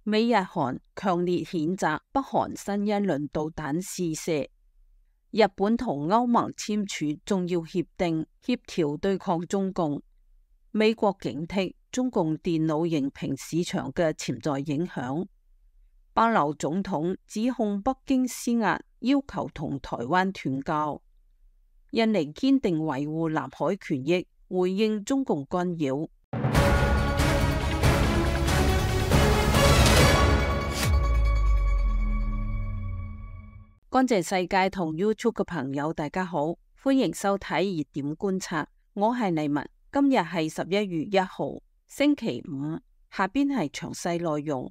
美日韓強烈譴責北韓新一輪導彈試射。日本同歐盟簽署重要協定，協調對抗中共。美國警惕中共電腦螢屏市場嘅潛在影響。巴劉總統指控北京施壓，要求同台灣斷交。印尼堅定維護南海權益，回應中共干擾。乾淨世界同 YouTube 嘅朋友，大家好，歡迎收睇熱點觀察，我係麗文。今日係11月1號，星期五。下邊係詳細內容。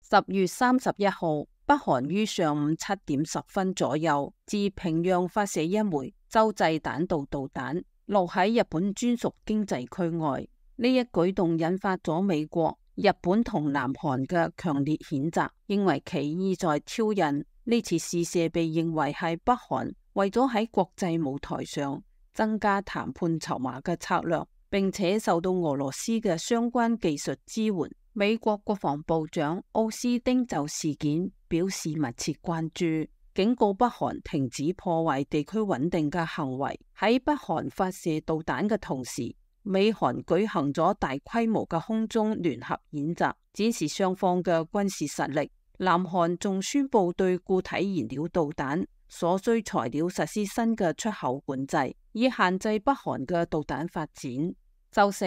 10月31號，北韓於上午7點10分左右，自平壤發射一枚洲際彈道導彈，落喺日本專屬經濟區外。呢一舉動引發咗美國、日本同南韓嘅強烈譴責，認為其意在挑釁。呢次試射被認為係北韓為咗喺國際舞台上增加談判籌碼嘅策略，並且受到俄羅斯嘅相關技術支援。美國國防部長奧斯汀就事件表示密切關注，警告北韓停止破壞地區穩定嘅行為。喺北韓發射導彈嘅同時，美韓舉行咗大規模嘅空中聯合演習，展示雙方嘅軍事實力。南韓仲宣布對固體燃料導彈所需材料實施新嘅出口管制，以限制北韓嘅導彈發展。周四，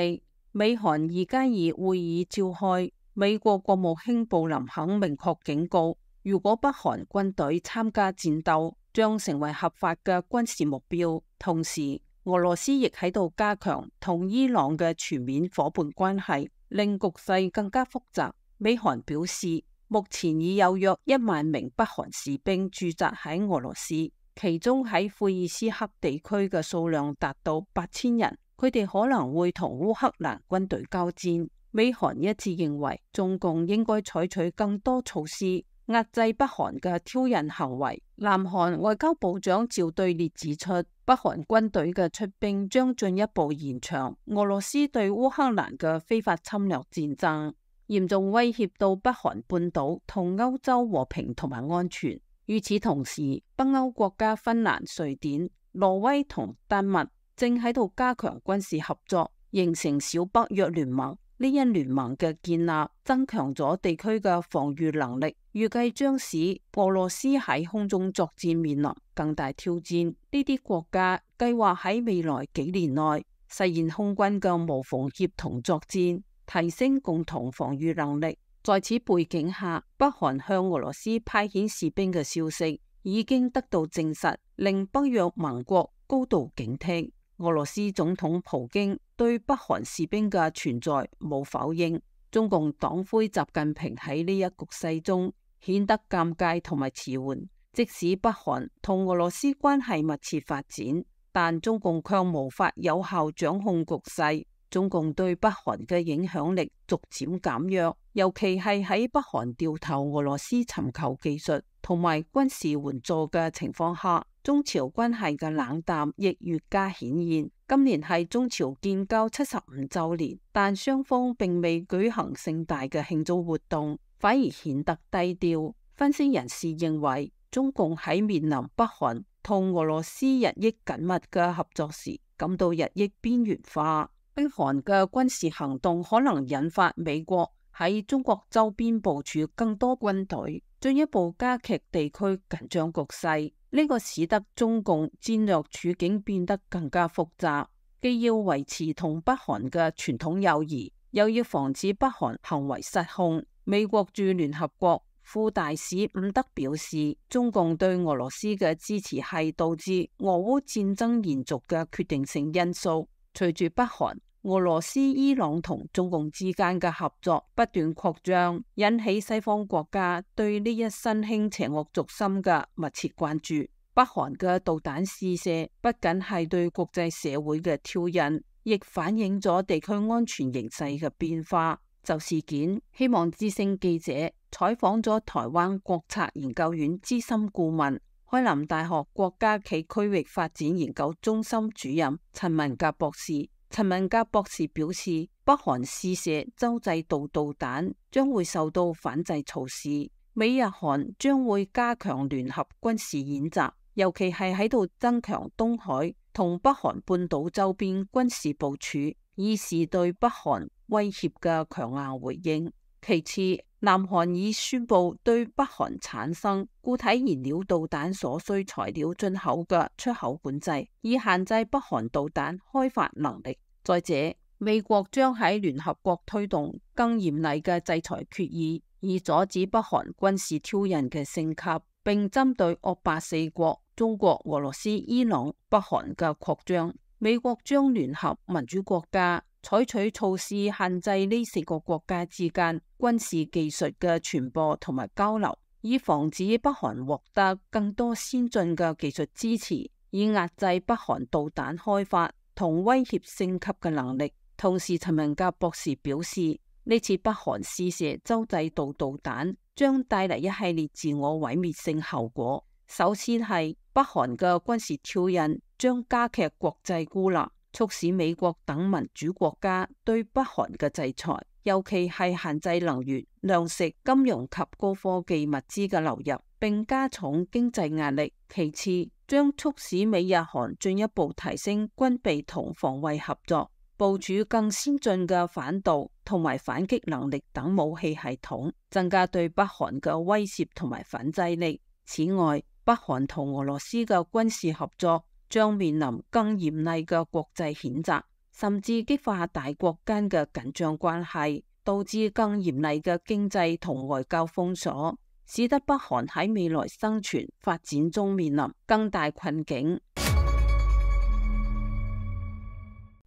美韓2+2會議召開，美國國務卿布林肯明確警告，如果北韓軍隊參加戰鬥，將成為合法嘅軍事目標。同時，俄羅斯亦喺度加強同伊朗嘅全面夥伴關係，令局勢更加複雜。美韓表示，目前已有約1萬名北韓士兵駐紮喺俄羅斯，其中喺庫爾斯克地區嘅數量達到8000人，佢哋可能會同烏克蘭軍隊交戰。美韓一致認為，中共應該採取更多措施壓制北韓嘅挑釁行為。南韓外交部長趙對列指出，北韓軍隊嘅出兵將進一步延長俄羅斯對烏克蘭嘅非法侵略戰爭，嚴重威脅到北韓半島同歐洲和平同埋安全。與此同時，北歐國家芬蘭、瑞典、挪威同丹麥正喺度加強軍事合作，形成小北約聯盟。呢一聯盟嘅建立增強咗地區嘅防禦能力，預計將使俄羅斯喺空中作戰面臨更大挑戰。呢啲國家計劃喺未來幾年內實現空軍嘅無縫協同作戰，提升共同防禦能力。在此背景下，北韓向俄羅斯派遣士兵嘅消息已經得到證實，令北約盟國高度警惕。俄羅斯總統普京對北韓士兵嘅存在冇否認。中共黨魁習近平喺呢一局勢中顯得尷尬同埋遲緩。即使北韓同俄羅斯關係密切發展，但中共卻無法有效掌控局勢。中共對北韓嘅影響力逐漸減弱，尤其係喺北韓掉頭俄羅斯尋求技術同埋軍事援助嘅情況下，中朝關係嘅冷淡亦越加顯現。今年係中朝建交75週年，但雙方並未舉行盛大嘅慶祝活動，反而顯得低調。分析人士認為，中共喺面臨北韓同俄羅斯日益緊密嘅合作時，感到日益邊緣化。北韓嘅軍事行動可能引發美國喺中國周邊部署更多軍隊，進一步加劇地區緊張局勢。呢個使得中共戰略處境變得更加複雜，既要維持同北韓嘅傳統友誼，又要防止北韓行為失控。美國駐聯合國副大使伍德表示，中共對俄羅斯嘅支持係導致俄烏戰爭延續嘅決定性因素。隨住北韓、俄羅斯、伊朗同中共之間嘅合作不斷擴張，引起西方國家對呢一新興邪惡軸心嘅密切關注。北韓嘅導彈試射不僅係對國際社會嘅挑釁，亦反映咗地區安全形勢嘅變化。就事件，希望之聲記者採訪咗台灣國策研究院資深顧問、開南大學國家暨區域發展研究中心主任陳文甲博士。陳文甲博士表示，北北韓試射洲際導導彈將會受到反制措施。美日韓將會加強聯合軍事演習，尤其係喺度增強東海同北韓半島周邊軍事部署，以示對北韓威脅嘅強硬回應。其次，南韓已宣布對北韓產生固體燃料導彈所需材料進口嘅出口管制，以限制北韓導彈開發能力。再者，美國將喺聯合國推動更嚴厲嘅制裁決議，以阻止北韓軍事挑釁嘅升級，並針對惡霸四國中國、俄羅斯、伊朗、北韓嘅擴張。美國將聯合民主國家採取措施限制呢四個國家之間軍事技術嘅傳播同埋交流，以防止北韓獲得更多先進嘅技術支持，以壓制北韓導彈開發同威脅升級嘅能力。同時，陳文甲博士表示，呢次北韓試射洲際導導彈將帶嚟一系列自我毀滅性後果。首先係北韓嘅軍事挑釁將加劇國際孤立，促使美國等民主國家對北韓嘅制裁，尤其係限制能源、糧食、金融及高科技物資嘅流入，並加重經濟壓力。其次，將促使美日韓進一步提升軍備同防衛合作，部署更先進嘅反導同埋反擊能力等武器系統，增加對北韓嘅威懾同埋反制力。此外，北韓同俄羅斯嘅軍事合作將面臨更嚴厲嘅國際譴責，甚至激化大國間嘅緊張關係，導致更嚴厲嘅經濟同外交封鎖，使得北韓喺未來生存發展中面臨更大困境。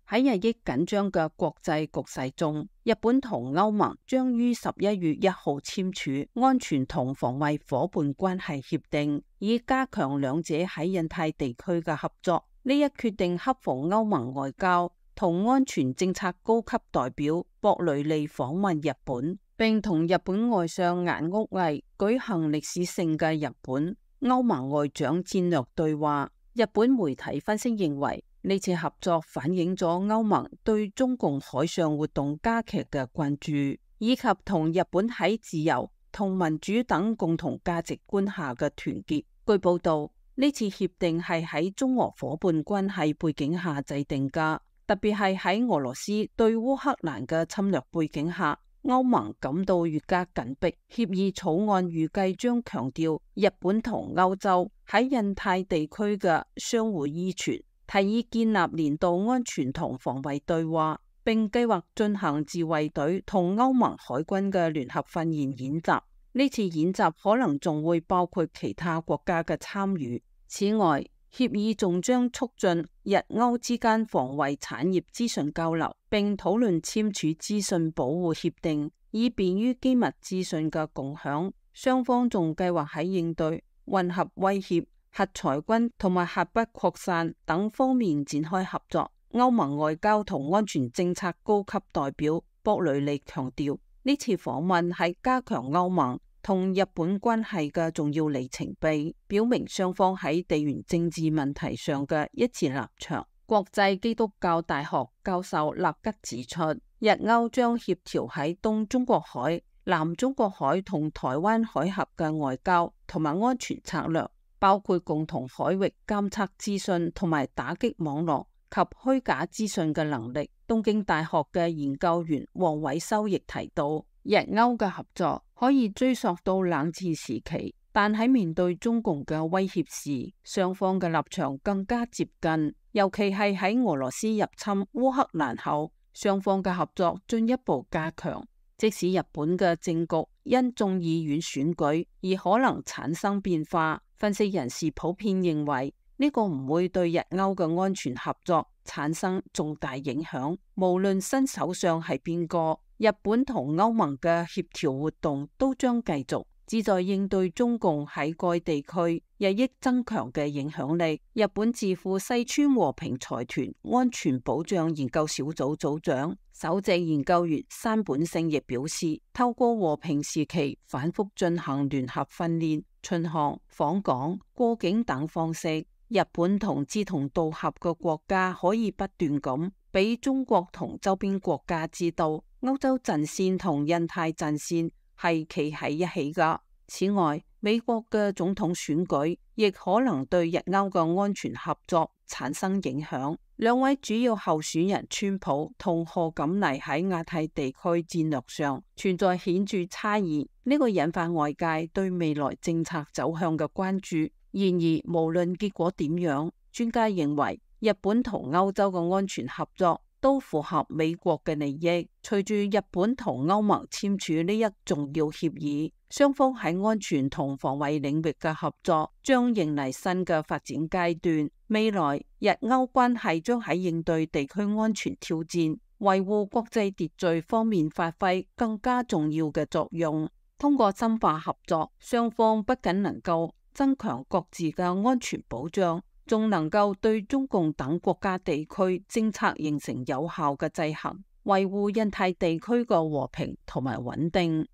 喺日益緊張嘅國際局勢中，日本同歐盟將於11月1號簽署安全同防衛夥伴關係協定，以加強兩者喺印太地區嘅合作。呢一決定恰逢歐盟外交同安全政策高級代表博雷利訪問日本，並同日本外相岩屋毅舉行歷史性嘅日本歐盟外長戰略對話。日本媒體分析認為，呢次合作反映咗歐盟對中共海上活動加劇嘅關注，以及同日本喺自由同民主等共同價值觀下嘅團結。據報道，呢次協定係喺中俄夥伴關係背景下制定㗎，特別係喺俄羅斯對烏克蘭嘅侵略背景下，歐盟感到越加緊迫。協議草案預計將強調日本同歐洲喺印太地區嘅相互依存，提議建立年度安全同防衛對話，並計劃進行自衛隊同歐盟海軍嘅聯合訓練演習。呢次演習可能仲會包括其他國家嘅參與。此外，協議仲將促進日歐之間防衛產業資訊交流，並討論簽署資訊保護協定，以便於機密資訊嘅共享。雙方仲計劃喺應對混合威脅、核裁軍同埋核不擴散等方面展開合作。歐盟外交同安全政策高級代表博雷利強調，呢次訪問係加強歐盟同日本關係嘅重要里程碑，表明雙方喺地緣政治問題上嘅一致立場。國際基督教大學教授納吉指出，日歐將協調喺東中國海、南中國海同台灣海峽嘅外交同埋安全策略，包括共同海域監測資訊同埋打擊網絡及虛假資訊嘅能力。東京大學嘅研究員黃偉修亦提到，日歐嘅合作可以追溯到冷戰時期，但喺面對中共嘅威脅時，雙方嘅立場更加接近，尤其係喺俄羅斯入侵烏克蘭後，雙方嘅合作進一步加強。即使日本嘅政局因眾議院選舉而可能產生變化，分析人士普遍認為呢個唔會對日歐嘅安全合作產生重大影響。無論新首相係邊個，日本同歐盟嘅協調活動都將繼續，旨在應對中共喺該地區日益增強嘅影響力。日本智庫西村和平財團安全保障研究小組組長首席研究員山本勝亦表示，透過和平時期反覆進行聯合訓練、巡航、訪港、過境等方式，日本同志同道合嘅國家可以不斷咁俾中國同周邊國家知道，歐洲陣線同印太陣線係企喺一起㗎。此外，美國嘅總統選舉亦可能對日歐嘅安全合作產生影響。兩位主要候選人川普同賀錦麗喺亞太地區戰略上存在顯著差異，呢個引發外界對未來政策走向嘅關注。然而，無論結果點樣，專家認為日本同歐洲嘅安全合作都符合美國嘅利益。隨住日本同歐盟簽署呢一重要協議，雙方喺安全同防衛領域嘅合作將迎嚟新嘅發展階段。未來日歐關係將喺應對地區安全挑戰、維護國際秩序方面發揮更加重要嘅作用。通過深化合作，雙方不僅能夠增強各自嘅安全保障，仲能夠對中共等國家地區政策形成有效嘅制衡，維護印太地區嘅和平同埋穩定。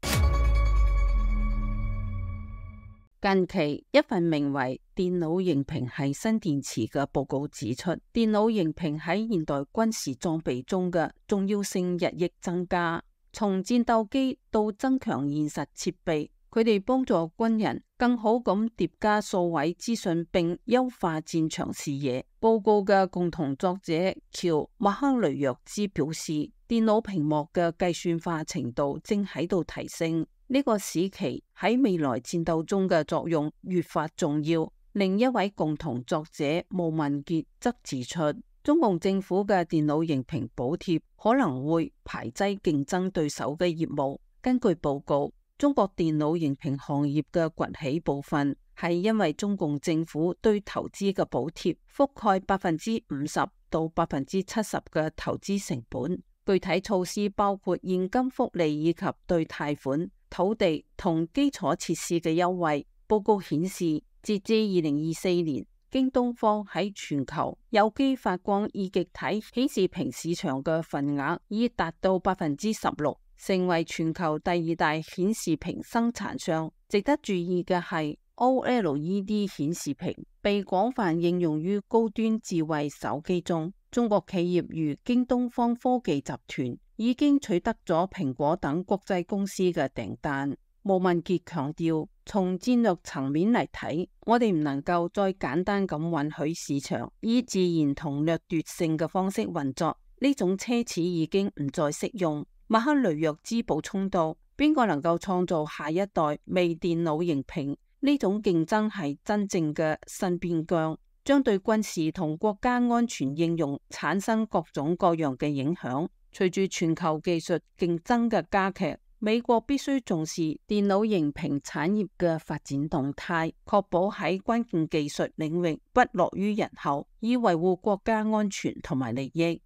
近期一份名為《電腦型屏係新電池》嘅報告指出，電腦型屏喺現代軍事裝備中嘅重要性日益增加。從戰鬥機到增強現實設備，佢哋幫助軍人更好咁疊加數位資訊並優化戰場視野。報告嘅共同作者喬麥克雷約茲表示，電腦屏幕嘅計算化程度正喺度提升。呢個使其喺未來戰鬥中嘅作用越發重要。另一位共同作者毛文傑則指出，中共政府嘅電腦型屏補貼可能會排擠競爭對手嘅業務。根據報告，中國電腦型屏行業嘅崛起部分係因為中共政府對投資嘅補貼覆蓋50%到70%嘅投資成本。具體措施包括現金福利以及對貸款、土地同基礎設施嘅優惠。報告顯示，截至2024年，京東方喺全球有機發光二極體顯示屏市場嘅份額已達到16%，成為全球第2大顯示屏生產商。值得注意嘅係， OLED 顯示屏被廣泛應用於高端智慧手機中。中國企業如京東方科技集團已經取得咗蘋果等國際公司嘅訂單。毛文傑強調，從戰略層面嚟睇，我哋唔能夠再簡單咁允許市場以自然同掠奪性嘅方式運作，呢種奢侈已經唔再適用。麥克雷約茲補充道，邊個能夠創造下一代微電腦型屏？呢種競爭係真正嘅新邊疆，將對軍事同國家安全應用產生各種各樣嘅影響。隨住全球技術競爭嘅加劇，美國必須重視電腦型屏產業嘅發展動態，確保喺關鍵技術領域不落於人後，以維護國家安全同埋利益。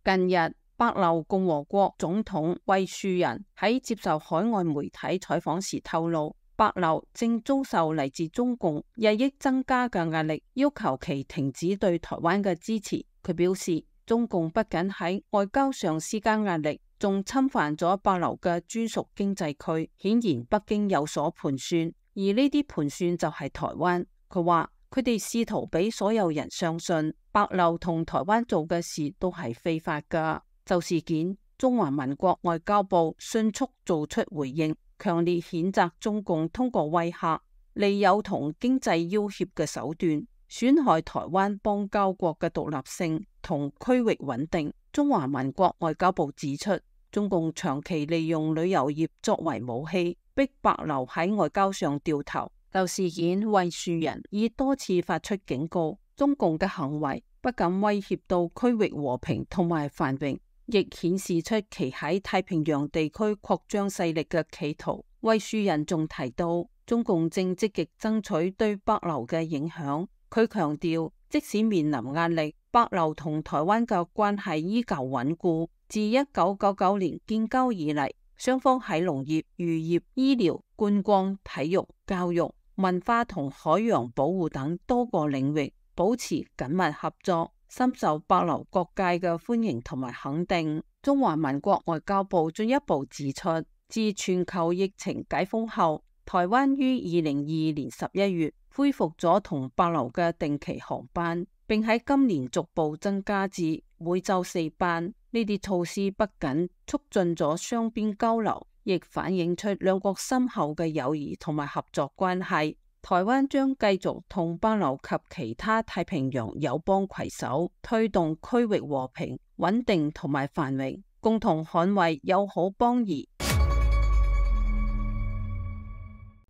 近日，帛琉共和國總統惠樹人喺接受海外媒體採訪時透露，帛琉正遭受嚟自中共日益增加嘅壓力，要求其停止對台灣嘅支持。佢表示，中共不僅喺外交上施加壓力，仲侵犯咗帛琉嘅專屬經濟區。顯然北京有所盤算，而呢啲盤算就係台灣。佢話佢哋試圖俾所有人相信帛琉同台灣做嘅事都係非法㗎。就事件，中華民國外交部迅速做出回應，強烈譴責中共通過威嚇、利誘同經濟要挾嘅手段，損害台灣邦交國嘅獨立性同區域穩定。中華民國外交部指出，中共長期利用旅遊業作為武器，逼帛琉喺外交上掉頭。就事件，惠樹人已多次發出警告，中共嘅行為不僅威脅到區域和平同埋繁榮，亦顯示出其喺太平洋地區擴張勢力嘅企圖。惠樹人仲提到，中共正積極爭取對帛琉嘅影響。佢強調，即使面臨壓力，帛琉同台灣嘅關係依舊穩固。自1999年建交以嚟，雙方喺農業、漁業、醫療、觀光、體育、教育、文化同海洋保護等多個領域保持緊密合作，深受帛琉各界嘅歡迎同埋肯定。中華民國外交部進一步指出，自全球疫情解封後，台灣於2022年11月恢復咗同帛琉嘅定期航班。並喺今年逐步增加至每週4班。呢啲措施不僅促進咗雙邊交流，亦反映出兩國深厚嘅友誼同埋合作關係。台灣將繼續同帛琉及其他太平洋友邦攜手，推動區域和平、穩定同埋繁榮，共同捍衛友好邦誼。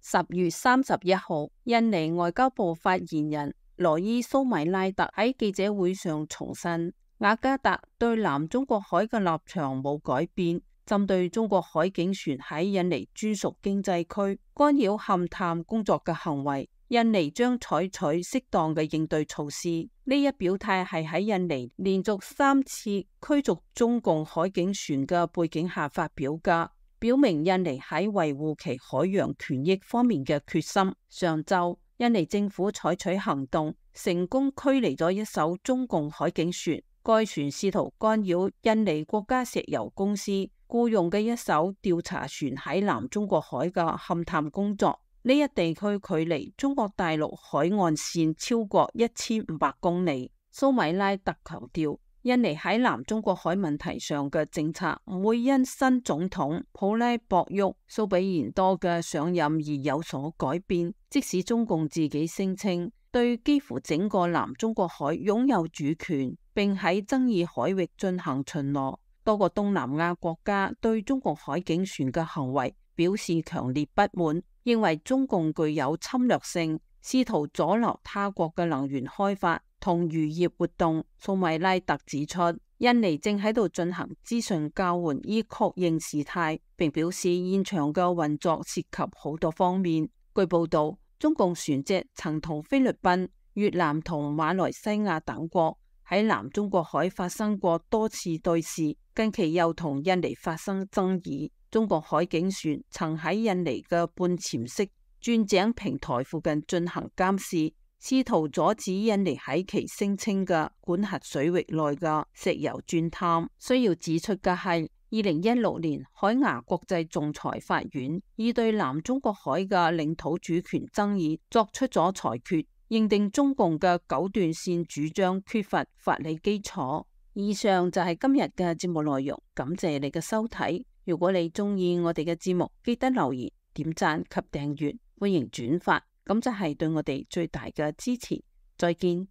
10月31號，印尼外交部發言人羅伊蘇米拉特喺記者會上重申，雅加達對南中國海嘅立場冇改變。針對中國海警船喺印尼專屬經濟區干擾勘探工作嘅行為，印尼將採取適當嘅應對措施。呢一表態係喺印尼連續3次驅逐中共海警船嘅背景下發表嘅，表明印尼喺維護其海洋權益方面嘅決心。上週，印尼政府採取行動，成功驅離咗一艘中共海警船。該船試圖干擾印尼國家石油公司僱用嘅一艘調查船喺南中國海嘅勘探工作。呢一地區距離中國大陸海岸線超過1500公里。蘇米拉特強調，印尼喺南中國海問題上嘅政策唔會因新總統普拉博沃蘇比賢多嘅上任而有所改變。即使中共自己聲稱對幾乎整個南中國海擁有主權，並喺爭議海域進行巡邏，多個東南亞國家對中國海警船嘅行為表示強烈不滿，認為中共具有侵略性，試圖阻撓他國嘅能源開發同漁業活動。蘇米拉特指出，印尼正喺度進行資訊交換以確認事態，並表示現場嘅運作涉及好多方面。據報道，中共船隻曾同菲律賓、越南同馬來西亞等國喺南中國海發生過多次對峙，近期又同印尼發生爭議。中國海警船曾喺印尼嘅半潛式鑽井平台附近進行監視，試圖阻止印尼喺其聲稱嘅管轄水域內嘅石油鑽探。需要指出嘅係，2016年海牙國際仲裁法院已對南中國海嘅領土主權爭議作出咗裁決，認定中共嘅九段線主張缺乏法理基礎。以上就係今日嘅節目內容，感謝你嘅收睇。如果你中意我哋嘅節目，記得留言、點讚及訂閱，歡迎轉發，咁就係對我哋最大嘅支持。再見。